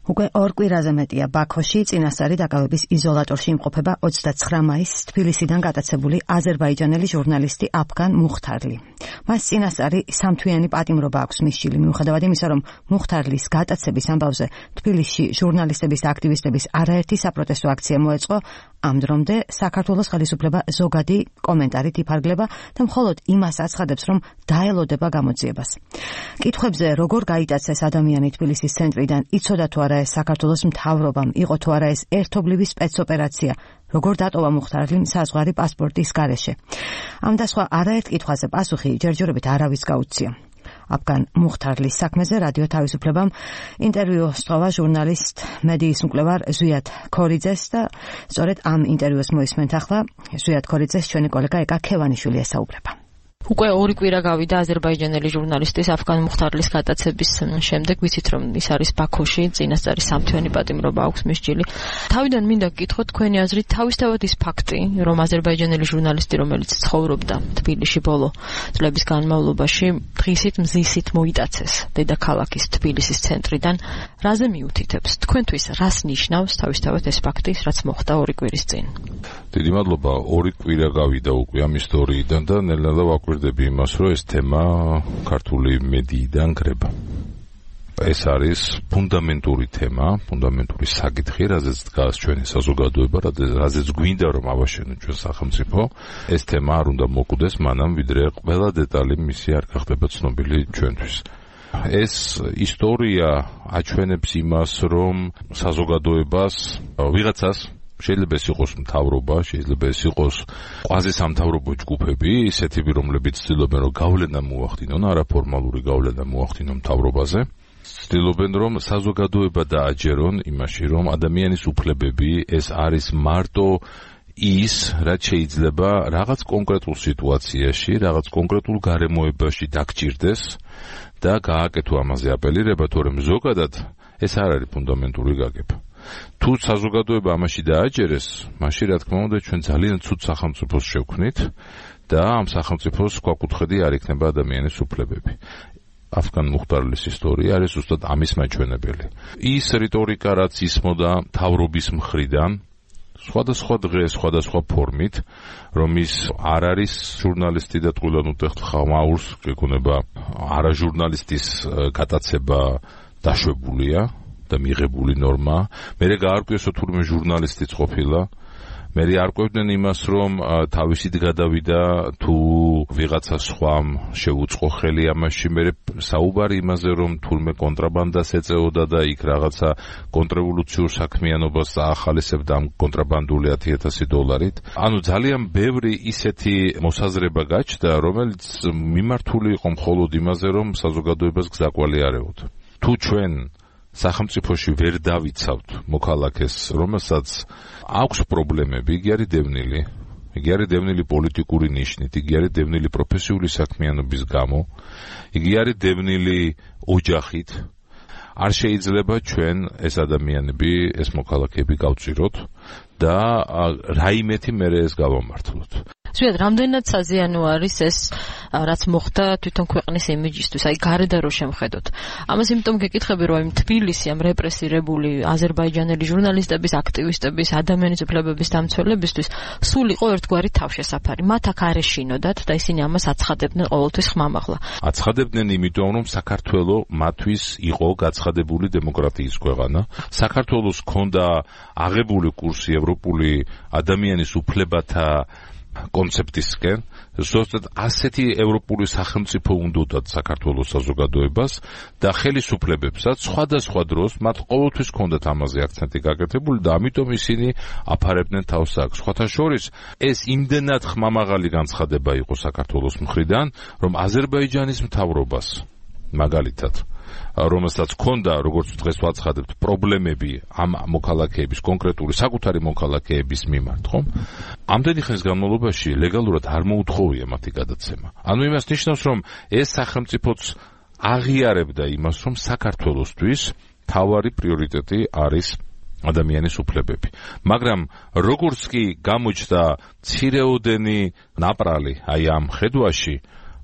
უკვე 2 კვირაზე მეტია ბაქოში წინასწარი დაკავების იზოლატორში იმყოფება 29 მაისს თბილისიდან გატაცებული აზერბაიჯანელი ჟურნალისტი აფგან მუხთარლი. მას წინასწარი სამთვიანი პატიმრობა აქვს მისჯილი, მიუხედავად იმისა, რომ მუხთარლის გატაცების ამბავზე თბილისში ჟურნალისტების და აქტივისტების არაერთი საპროტესტო აქცია მოეწყო. ამ დრომდე საქართველოს ხელისუფლება ზოგადი კომენტარით იფარგლება და მხოლოდ იმას აცხადებს, რომ დაელოდება გამოძიებას. კითხვებზე როგორ გაიტაცეს ადამიანი თბილისის ცენტრიდან, იცოდა თუ არა ეს საქართველოს მთავრობამ, იყო თუ არა ეს ერთობლივი სპეცოპერაცია, როგორ დატოვა მუხთარლიმ საზღვარი პასპორტის გარეშე. ამ და სხვა არაერთ კითხვაზე პასუხი ჯერჯერობით არავის გაუცია. აფგან მუხთარლის საქმეზე რადიო თავისუფლებამ ინტერვიუ სწოვა ჟურნალისტ მედიის მკვლევარ ზვიად ქორიძეს და სწორედ ამ ინტერვიუს მოისმენთ ახლა. ზვიად ქორიძეს ჩვენი კოლეგა ეკა ქევანიშვილი ესაუბრება. უკვე 2 კვირა გავიდა აზერბაიჯანელი ჟურნალისტის აფგან მუხთარლის გატაცების შემდეგ, ვიცით რომ ის არის ბაქოში, წინასწარი სამთვიანი პატიმრობა აქვს მისჯილი. თავიდან მინდა გკითხოთ თქვენი აზრით, თავისთავად ის ფაქტი, რომ აზერბაიჯანელი ჟურნალისტი, რომელიც ცხოვრობდა თბილისში ბოლო წლების განმავლობაში, დღისით მზისით მოიტაცეს დედაქალაქის თბილისის ცენტრიდან, რაზე მიუთითებს? თქვენთვის რას ნიშნავს თავისთავად ეს ფაქტი, რაც მოხდა 2 კვირის წინ? დიდი მადლობა, 2 კვირა გავიდა უკვე ამ ისტორიიდან და ნელ-ნელა ვაკვირდები იმას, რომ ეს თემა ქართული მედიიდან გრება. ეს არის ფუნდამენტური თემა, ფუნდამენტური საკითხი, რაზეც დგას ჩვენი საზოგადოება, რაზეც გვინდა რომ ავაშენოთ ჩვენ სახელმწიფო. ეს თემა არ უნდა მოკვდეს მანამ, ვიდრე ყველა დეტალი მისი არ გახდება ცნობილი ჩვენთვის. ეს ისტორია აჩვენებს იმას, რომ საზოგადოებას ვიღაცას შეიძლება ეს იყოს მთავრობა, შეიძლება ეს იყოს კვაზისამთავრობო ჯგუფები, ისეთები, რომლებიც ცდილობენ რომ გავლენა მოახდინონ, არაფორმალური გავლენა მოახდინონ მთავრობაზე. ცდილობენ რომ საზოგადოება დააჯერონ იმაში, რომ ადამიანის უფლებები ეს არის მარტო ის, რაც შეიძლება რაღაც კონკრეტულ სიტუაციაში, რაღაც კონკრეტულ გარემოებაში დაგჭირდეს და გააკეთო ამაზე აპელირება, თორემ ზოგადად ეს არ არის ფუნდამენტური გაგება. თუ საზოგადოება ამაში დააჯერეს, მაშინ რა თქმა უნდა ჩვენ ძალიან ცუდ სახელმწიფოს შევქმნით და ამ სახელმწიფოს ქვაკუთხედი არ იქნება ადამიანის უფლებები. აფგან მუხთარლის ისტორია არის ზუსტად ამის მაჩვენებელი. ის რიტორიკა, რაც ისმოდა მთავრობის მხრიდან, სხვადასხვა დღე, სხვადასხვა ფორმით, რომ ის არ არის ჟურნალისტი და ტყუილად ხმაურს გეკუნება არა ჟურნალისტის გატაცება დაშვებულია და მიღებული ნორმა, მერე გაარკვიესო თურმე ჟურნალისტიც ყოფილა, მერე არკვევდნენ იმას, რომ თავისით გადავიდა თუ ვიღაცა სხვამ შეუწყო ხელი ამაში, მერე საუბარი იმაზე, რომ თურმე კონტრაბანდას ეწეოდა და იქ რაღაცა კონტრრევოლუციურ საქმიანობას აახალისებდა ამ კონტრაბანდული $10,000. ანუ ძალიან ბევრი ისეთი მოსაზრება გაჩნდა, რომელიც მიმართული იყო მხოლოდ იმაზე, რომ საზოგადოებას გზაკვალი არეოდა. თუ ჩვენ სახელმწიფოში ვერ დავიცავთ მოქალაქეს, რომელსაც აქვს პრობლემები, იგი არის დევნილი, იგი არის დევნილი პოლიტიკური ნიშნით, იგი არის დევნილი პროფესიული საქმიანობის გამო, იგი არის დევნილი ოჯახით, არ შეიძლება ჩვენ ეს ადამიანები, ეს მოქალაქეები გავწიროთ და რაიმეთი მერე ეს გავამართლოთ. ზვიად, რამდენად საზიანო არის ეს, რაც მოხდა თვითონ ქვეყნის იმიჯისთვის, აი გარედან რო შემხედოთ. ამას იმიტომ გეკითხები, რომ თბილისი ამ რეპრესირებული აზერბაიჯანელი ჟურნალისტების, აქტივისტების, ადამიანის უფლებების დამცველებისთვის სულ იყო ერთგვარი თავშესაფარი. მათ აქ არ ეშინოდათ და ისინი ამას აცხადებდნენ ყოველთვის ხმამაღლა. აცხადებდნენ იმიტომ, რომ საქართველო მათთვის იყო გაცხადებული დემოკრატიის ქვეყანა. საქართველოს ჰქონდა აღებული კურსი ევროპული ადამიანის უფლებათა კონცეფტისკენ, ზუსტად ასეთი ევროპული სახელმწიფო უნდათ საქართველოს საზოგადოებას და ხელისუფლებებსაც სხვადასხვა დროს მათ ყოველთვის ჰქონდათ ამაზე აქცენტი გაკეთებული და ამიტომ ისინი აფარებდნენ თავს აქ. სხვათა შორის ეს იმდენად ხმამაღალი განცხადება იყო საქართველოს მხრიდან, რომ აზერბაიჯანის მთავრობას მაგალითად რომელსაც ჰქონდა, როგორც დღეს ვაცხადებთ, პრობლემები ამ მოქალაქეების, კონკრეტული საკუთარი მოქალაქეების მიმართ, ხომ? ამდენი ხნის განმავლობაში ლეგალურად არ მოუთხოვია მათი გადაცემა. ანუ იმას ნიშნავს, რომ ეს სახელმწიფოც აღიარებდა იმას, რომ საქართველოსთვის თავარი პრიორიტეტი არის ადამიანის უფლებები. მაგრამ როგორც კი გამოჩნდა მცირეოდენი ნაპრალი აი ამ ხედვაში,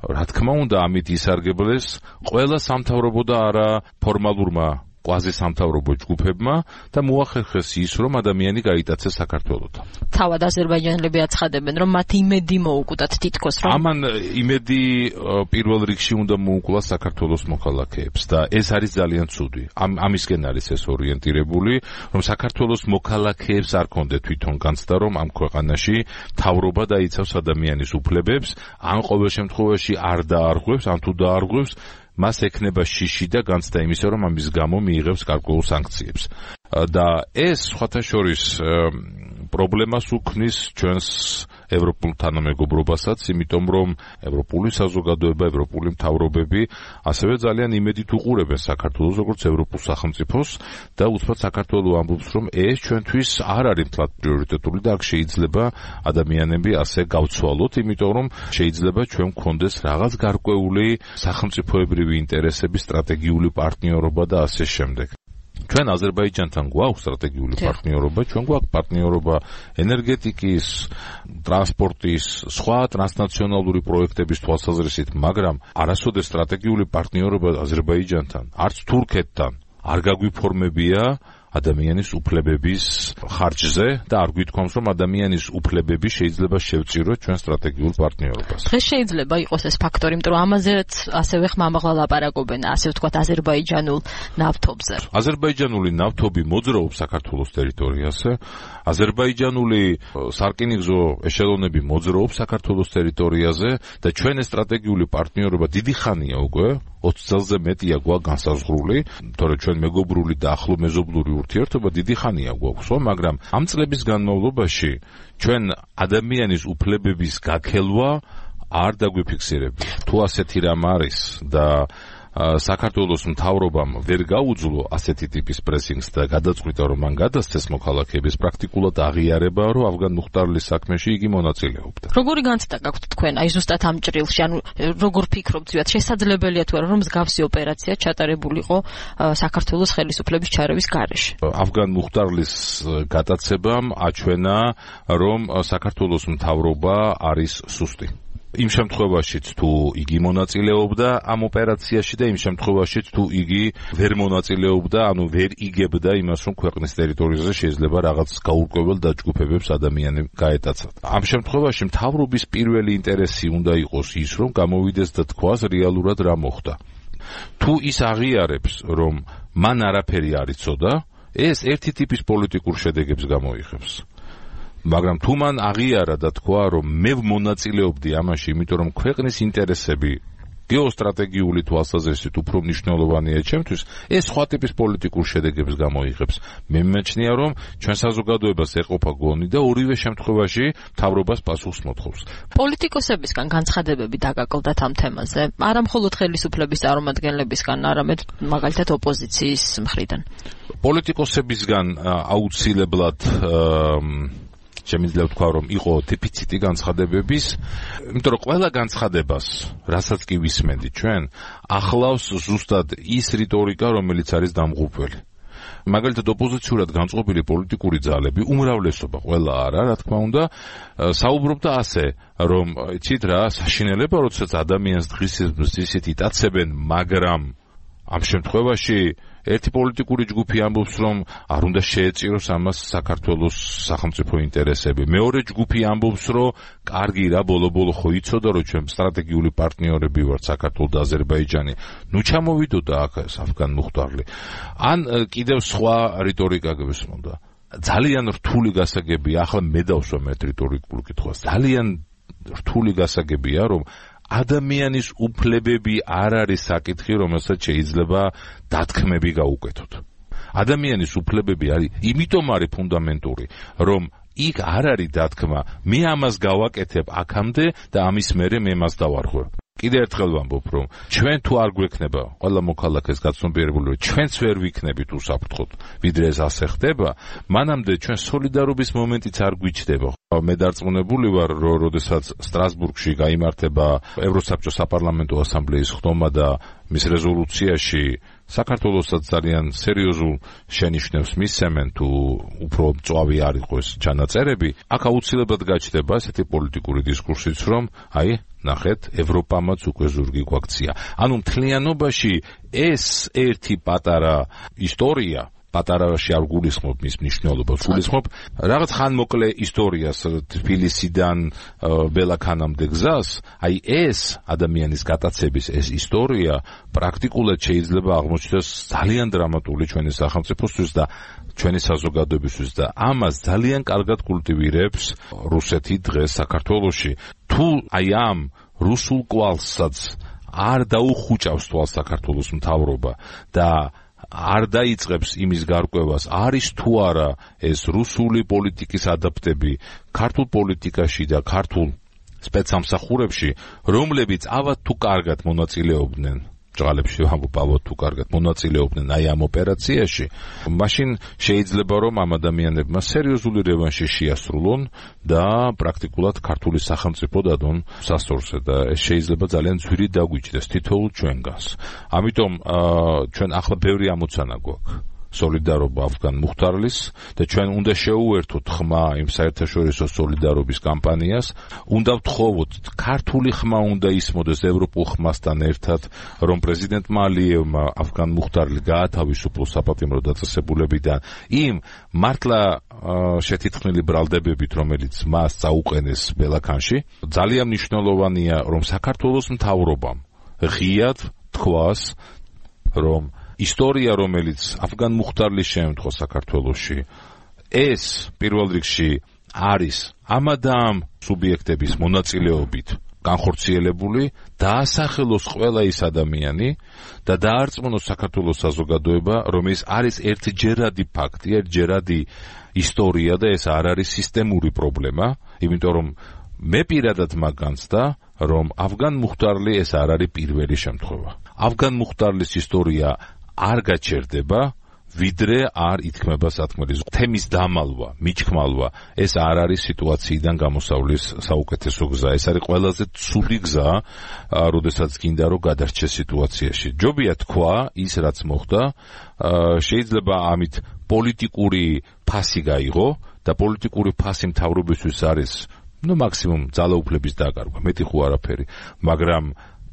რა თქმა უნდა, ამით ისარგებლეს ყველა სამთავრობო და არა ფორმალურმა კვაზისამთავრობო ჯგუფებმა და მოახერხეს ის, რომ ადამიანი გაიტაცეს საქართველოსთან. თავად აზერბაიჯანელები აცხადებენ, რომ მათ იმედი მოუკვდათ თითქოს, რომ ამან იმედი პირველ რიგში უნდა მოუკლას საქართველოს მოქალაქეებს და ეს არის ძალიან ცუდი. ამისკენ არის ეს ორიენტირებული, რომ საქართველოს მოქალაქეებს არ კონდეთ თვითონ განცდა, რომ ამ ქვეყანაში მთავრობა დაიცავს ადამიანის უფლებებს, ან ყოველ შემთხვევაში არ დაარღვევს, ან თუ დაარღვევს, მას ექნება შიში და განცდა იმისა, რომ ამის გამო მიიღებს გარკვეულ სანქციებს. და ეს სხვათა შორის პრობლემას უქმნის ჩვენს ევროპულ თანამეგობრობასაც, იმიტომ რომ ევროპული საზოგადოება, ევროპული მთავრობები ასევე ძალიან იმედით უყურებენ საქართველოს როგორც ევროპულ სახელმწიფოს და უცბად საქართველო ამბობს, რომ ეს ჩვენთვის არ არის მთლად პრიორიტეტული და აქ შეიძლება ადამიანები ასე გავცვალოთ, იმიტომ რომ შეიძლება ჩვენ გქონდეს რაღაც გარკვეული სახელმწიფოებრივი ინტერესების სტრატეგიული პარტნიორობა და ასე შემდეგ. ჩვენ აზერბაიჯანთან გვაქვს სტრატეგიული პარტნიორობა, ჩვენ გვაქვს პარტნიორობა ენერგეტიკის, ტრანსპორტის, სხვა ტრანსნაციონალური პროექტების თვალსაზრისით, მაგრამ არასოდეს სტრატეგიული პარტნიორობა აზერბაიჯანთან, არც თურქეთთან არ გაგვიფორმებია ადამიანის უფლებების ხარჯზე და არ გვითქვამს, რომ ადამიანის უფლებები შეიძლება შევწიროთ ჩვენ სტრატეგიულ პარტნიორობას. დღეს შეიძლება იყოს ეს ფაქტორი, იმიტომ რომ ამაზეც ასევე ხმამაღლა ლაპარაკობენ, ასე ვთქვათ, აზერბაიჯანულ ნავთობზე. აზერბაიჯანული ნავთობი მოძრაობს საქართველოს ტერიტორიაზე. აზერბაიჯანული სარკინიგზო ეშელონები მოძრაობს საქართველოს ტერიტორიაზე და ჩვენ ეს სტრატეგიული პარტნიორობა დიდი ხანია უკვე 20 წელზე მეტია გვაქვს განსაზღვრული, თორე ჩვენ მეგობრული და ახლო მეზობლური ურთიერთობა დიდი ხანია გვაქვს, მაგრამ ამ წლების განმავლობაში ჩვენ ადამიანის უფლებების გაქელვა არ დაგვიფიქსირებია. თუ ასეთი რამ არის და საქართველოს მთავრობამ ვერ გაუძლო ასეთი ტიპის პრესინგს და გადაწყვიტა, რომ მან გადასცეს მოქალაქეების პრაქტიკულად აღიარება, რომ ავგან მუხტარლის საქმეში იგი მონაწილეობდა. როგორი განცდა გაქვთ თქვენ, აი ზუსტად ამ ჭრილში, ანუ როგორ ფიქრობთ, შესაძლებელია თუ არა, რომ მსგავსი ოპერაცია ჩატარებულიყო საქართველოს ხელისუფლების ჩარევის გარეშე? ავგან მუხტარლის გადაცებამ აჩვენა, რომ საქართველოს მთავრობა არის სუსტი. იმ შემთხვევაშიც თუ იგი მონაწილეობდა ამ ოპერაციაში და იმ შემთხვევაშიც თუ იგი ვერ მონაწილეობდა, ანუ ვერ იგებდა იმას, რომ ქვეყნის ტერიტორიაზე შეიძლება რაღაც გაურკვეველ დაჯგუფებებს ადამიანები გაეტაცათ. ამ შემთხვევაში მთავრობის პირველი ინტერესი უნდა იყოს ის, რომ გამოვიდეს და თქვას რეალურად რა მოხდა. თუ ის აღიარებს, რომ მან არაფერი არ იცოდა, ეს ერთი ტიპის პოლიტიკურ შედეგებს გამოიღებს. მაგრამ თუ მან აღიარა და თქვა, რომ მე მონაწილეობდი ამაში, იმიტომ რომ ქვეყნის ინტერესები გეოსტრატეგიული თვალსაზრისით უფრო მნიშვნელოვანია ჩემთვის, ეს სხვა ტიპის პოლიტიკურ შედეგებს გამოიღებს. მე მიმაჩნია, რომ ჩვენ საზოგადოებას ეყოფა გონი და ორივე შემთხვევაში მთავრობას პასუხს მოთხოვს. პოლიტიკოსებისგან განცხადებები დაგაკლდათ ამ თემაზე, არა მხოლოდ ხელისუფლების წარმომადგენლებისგან, არამედ მაგალითად ოპოზიციის მხრიდან. პოლიტიკოსებისგან აუცილებლად შემიძლია ვთქვა, რომ იყო დეფიციტი განცხადებების, იმიტომ რომ ყველა განცხადებას, რასაც კი ვისმენთ ჩვენ, ახლავს ზუსტად ის რიტორიკა, რომელიც არის დამღუპველი. მაგალითად ოპოზიციურად განწყობილი პოლიტიკური ძალები, უმრავლესობა, ყველა არა, რა თქმა უნდა, საუბრობდა ასე, რომ იცით რა, საშინელება, როდესაც ადამიანს დღისით ისეთ იტაცებენ, მაგრამ ამ შემთხვევაში ერთი პოლიტიკური ჯგუფი ამბობს, რომ არ უნდა შეეწიროს ამას საქართველოს სახელმწიფო ინტერესები. მეორე ჯგუფი ამბობს, რომ კარგი რა, ბოლო-ბოლო ხო იცოდა, რომ ჩვენ სტრატეგიული პარტნიორები ვართ საქართველო და აზერბაიჯანი. ნუ ჩამოვიდოდა აქ ეს ავგან მუხტარლი. ან კიდევ სხვა რიტორიკა გვესმოდა. ძალიან რთული გასაგებია, ახლა მე დავსვამ ერთ რიტორიკულ კითხვას. ძალიან რთული გასაგებია, რომ ადამიანის უფლებები არ არის საკითხი, რომელსაც შეიძლება დათქმები გაუკეთოთ. ადამიანის უფლებები არის, იმიტომ არის ფუნდამენტური, რომ იქ არ არის დათქმა, მე ამას გავაკეთებ აქამდე და ამის მერე მე მას დავარღვევ. კიდევ ერთხელ ვამბობ, რომ ჩვენ თუ არ გვექნება ყველა მოქალაქეს გაცნობიერებული, რომ ჩვენც ვერ ვიქნებით უსაფრთხოდ, ვიდრე ეს ასე ხდება, მანამდე ჩვენ სოლიდარობის მომენტიც არ გვიჩნდება. მე დარწმუნებული ვარ, რომ როდესაც სტრასბურგში გაიმართება ევროსაბჭოს საპარლამენტო ასამბლეის ხდომა და მის რეზოლუციაში საქართველოსაც ძალიან სერიოზულ შენიშვნებს მისცემენ, თუ უფრო მწვავე არ იყოს ჩანაწერები, აქ აუცილებლად გაჩნდება ესეთი პოლიტიკური დისკურსიც, რომ ნახეთ, ევროპამაც უკვე ზურგი გვაქცია. ანუ მთლიანობაში ეს ერთი პატარა ისტორია, პატარაში არ გულისხმობ მის მნიშვნელობას, გულისხმობ რაღაც ხანმოკლე ისტორიას თბილისიდან ბელაქანამდე გზას, ეს ადამიანის გატაცების ეს ისტორია პრაქტიკულად შეიძლება აღმოჩნდეს ძალიან დრამატული ჩვენი სახელმწიფოსთვის და ჩვენი საზოგადოებისთვის და ამას ძალიან კარგად კულტივირებს რუსეთი დღეს საქართველოში. თუ ამ რუსულ კვალსაც არ დაუხუჭავს თვალს საქართველოს მთავრობა და არ დაიწყებს იმის გარკვევას, არის თუ არა ეს რუსული პოლიტიკის ადაპტები ქართულ პოლიტიკაში და ქართულ სპეცსამსახურებში, რომლებიც ავად თუ კარგად მონაწილეობდნენ ჭღალებში ამბობ თუ კარგად მონაწილეობდნენ ამ ოპერაციაში, მაშინ შეიძლება რომ ამ ადამიანებმა სერიოზული რევანში შეასრულონ და პრაქტიკულად ქართული სახელმწიფო დადონ სასწორზე და ეს შეიძლება ძალიან ძვირი დაგვიჭდეს თითოეულ ჩვენგანს. ამიტომ ჩვენ ახლა ბევრი ამოცანა გვაქვს სოლიდარობა ავგან მუხტარლის და ჩვენ უნდა შეუერთოთ ხმა იმ საერთაშორისო სოლიდარობის კამპანიას, უნდა ვთხოვოთ ქართული ხმა უნდა ისმოდეს ევროპულ ხმასთან ერთად, რომ პრეზიდენტმა ალიევმა ავგან მუხტარლი გაათავისუფლოს საპატიმრო დაწესებულებიდან იმ მართლა შეთითხმილი ბრალდებებით, რომელიც მას წაუყენეს ბელაქანში. ძალიან მნიშვნელოვანია, რომ საქართველოს მთავრობამ ღიად თქვას, რომ ისტორია, რომელიც ავგან მუხტარლის შემდგომ საქართველოში, ეს პირველ რიგში არის ამადამ სუბიექტების მონაწილეობით განხორციელებული, დაასახელოს ყველა ის ადამიანი და დაარწმუნოს საქართველოს საზოგადოება, რომ ეს არის ერთჯერადი ფაქტი, ერთჯერადი ისტორია და ეს არ არის სისტემური პრობლემა, იმიტომ რომ მე პირადად მაგანცდა, რომ ავგან მუხტარლი ეს არ არის პირველი შემთხვევა. ავგან მუხტარლის ისტორია არ გაჩერდება, ვიდრე არ ითქმება სათქმელი თემის დამალვა, მიჩქმალვა, ეს არ არის სიტუაციიდან გამოსავლის საუკეთესო გზა. ეს არის ყველაზე ცუდი გზა, როდესაც გინდა რომ გადარჩეს სიტუაციაში. ჯობია თქვა ის, რაც მოხდა, შეიძლება ამით პოლიტიკური ფასი გაიღო და პოლიტიკური ფასი მთავრობისთვის არის, მაქსიმუმ ძალაუფლების დაკარგვა, მეტი ხო არაფერი, მაგრამ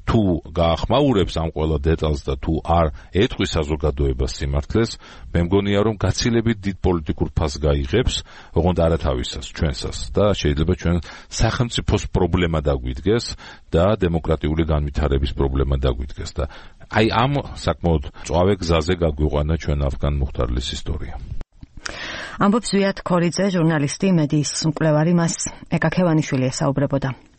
თუ გაახმაურებს ამ ყველა დეტალს და თუ არ ეტყვის საზოგადოებას სიმართლეს, მე მგონია რომ გაცილებით დიდ პოლიტიკურ ფასს გაიღებს, ოღონდ არავისას, ჩვენსას და შეიძლება ჩვენ სახელმწიფოს პრობლემა დაგვიდგეს და დემოკრატიული განვითარების პრობლემა დაგვიდგეს და ამ საკმაოდ მწვავე გზაზე გაგვიყვანა ჩვენ ავგან მუხტარლის ისტორია. ამბობს ზვიად ქორიძე, ჟურნალისტი, მედიის მკვლევარი, მას ეკაქევანიშვილი ესაუბრებოდა.